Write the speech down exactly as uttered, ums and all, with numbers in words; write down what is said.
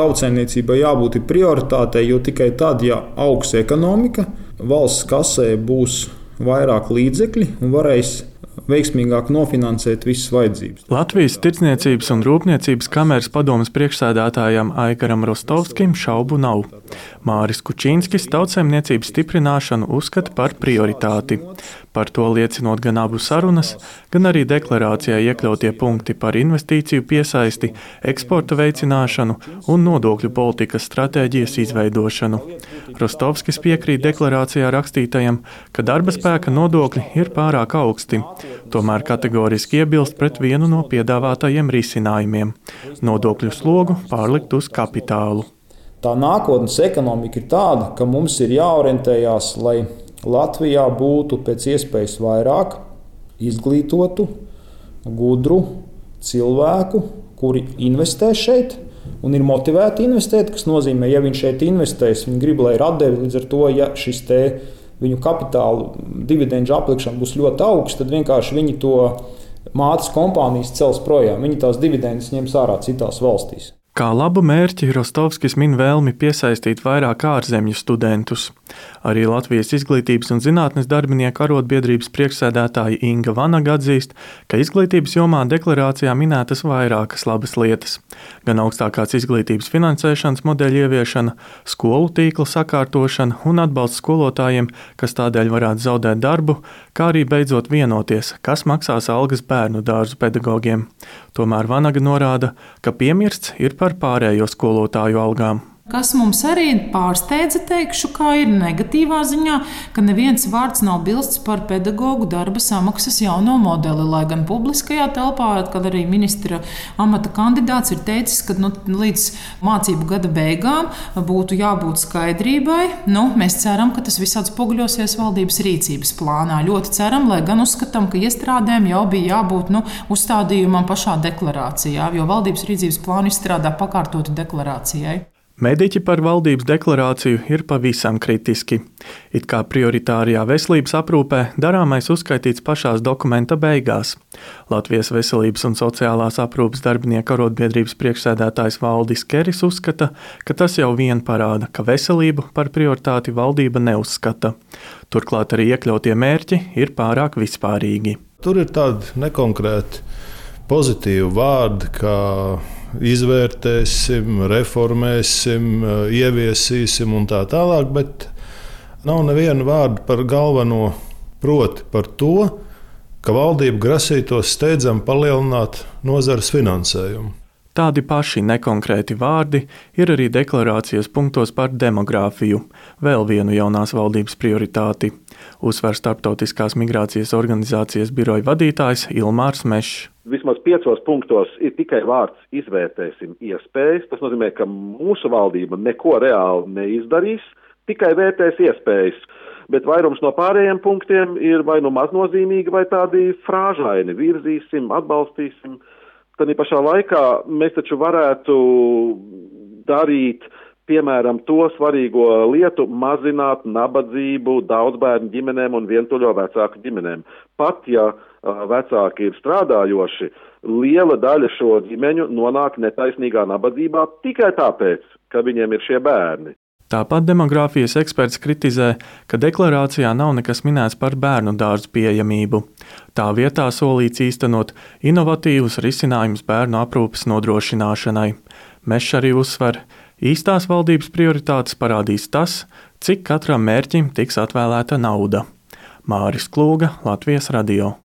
Tautsaimniecībai jābūt prioritātei, jo tikai tad, ja augs ekonomika, valsts kasē būs vairāk līdzekļi un varēs veiksmīgāk nofinansēt visas vajadzības. Latvijas Tirdzniecības un Rūpniecības kameras padomes priekšsēdētājam Aigaram Rostovskim šaubu nav. Māris Kučinskis tautsaimniecības stiprināšanu uzskata par prioritāti. Par to liecinot gan abu sarunas, gan arī deklarācijā iekļautie punkti par investīciju piesaisti, eksporta veicināšanu un nodokļu politikas stratēģijas izveidošanu. Rostovskis piekrīt deklarācijā rakstītajam, ka darba spēka nodokļi ir pārāk augsti. Tomēr kategoriski iebilst pret vienu no piedāvātajiem risinājumiem – nodokļu slogu pārlikt uz kapitālu. Tā nākotnes ekonomika ir tāda, ka mums ir jāorientējās, lai Latvijā būtu pēc iespējas vairāk izglītotu, gudru cilvēku, kuri investē šeit un ir motivēti investēt, kas nozīmē, ja viņš šeit investēs, viņi grib, lai ir atdevi, līdz ar to, ja šis te viņu kapitālu dividendžu aplikšana būs ļoti augsta, tad vienkārši viņi to mātes kompānijas cels projām. Viņi tās dividendes ņems ārā citās valstīs. Kā labu mērķi Rostovskis min vēlmi piesaistīt vairāk ārzemju studentus. Arī Latvijas Izglītības un zinātnes darbinieku arotbiedrības priekšsēdētāja Inga Vanaga atzīst, ka izglītības jomā deklarācijā minētas vairākas labas lietas. Gan augstākās izglītības finansēšanas modeļa ieviešana, skolu tīkla sakārtošana un atbalsts skolotājiem, kas tādēļ varētu zaudēt darbu, kā arī beidzot vienoties, kas maksās algas bērnu dārzu pedagogiem. Tomēr Vanaga norāda, ka piemirsts ir par pārējo skolotāju algām. Kas mums arī pārsteidza, teikšu, kā ir negatīvā ziņā, ka neviens vārds nav bilsts par pedagogu darba samaksas jauno modeli, lai gan publiskajā telpā, kad arī ministra amata kandidāts ir teicis, ka nu, līdz mācību gada beigām būtu jābūt skaidrībai. Nu, mēs ceram, ka tas viss atspoguļosies valdības rīcības plānā. Ļoti ceram, lai gan uzskatām, ka iestrādēm jau bija jābūt nu, uzstādījumam pašā deklarācijā, jo valdības rīcības plānu izstrādā pakārtotu deklarācijai. Mediķi par valdības deklarāciju ir pavisam kritiski. It kā prioritārijā veselības aprūpē darāmais uzskaitīts pašās dokumenta beigās. Latvijas Veselības un sociālās aprūpes darbinieku arotbiedrības priekšsēdētājs Valdis Keris uzskata, ka tas jau vien parāda, ka veselību par prioritāti valdība neuzskata. Turklāt arī iekļautie mērķi ir pārāk vispārīgi. Tur ir tādi nekonkrēti pozitīvi vārdi, kā izvērtēsim, reformēsim, ieviesīsim un tā tālāk, bet nav neviena vārda par galveno, proti par to, ka valdība grasītos steidzami palielināt nozares finansējumu. Tādi paši nekonkrēti vārdi ir arī deklarācijas punktos par demogrāfiju, vēl vienu jaunās valdības prioritāti, uzsver Starptautiskās migrācijas organizācijas biroja vadītājs Ilmārs Mešs. Vismaz piecos punktos ir tikai vārds izvērtēsim iespējas. Tas nozīmē, ka mūsu valdība neko reāli neizdarīs, tikai vērtēs iespējas. Bet vairums no pārējiem punktiem ir vai nu maznozīmīgi, vai tādi frāžaini. Virzīsim, atbalstīsim. Tad pašā laikā mēs taču varētu darīt, piemēram, to svarīgo lietu, mazināt nabadzību daudzbērnu ģimenēm un vientuļo vecāku ģimenēm. Pat ja vecāki ir strādājoši, liela daļa šo ģimeņu nonāk netaisnīgā nabadzībā tikai tāpēc, ka viņiem ir šie bērni. Tāpat demogrāfijas eksperts kritizē, ka deklarācijā nav nekas minēts par bērnu dārzu pieejamību. Tā vietā solīts īstenot inovatīvus risinājumus bērnu aprūpes nodrošināšanai. Mešs arī uzsver, īstās valdības prioritātes parādīs tas, cik katram mērķim tiks atvēlēta nauda. Māris Klūga, Latvijas radio.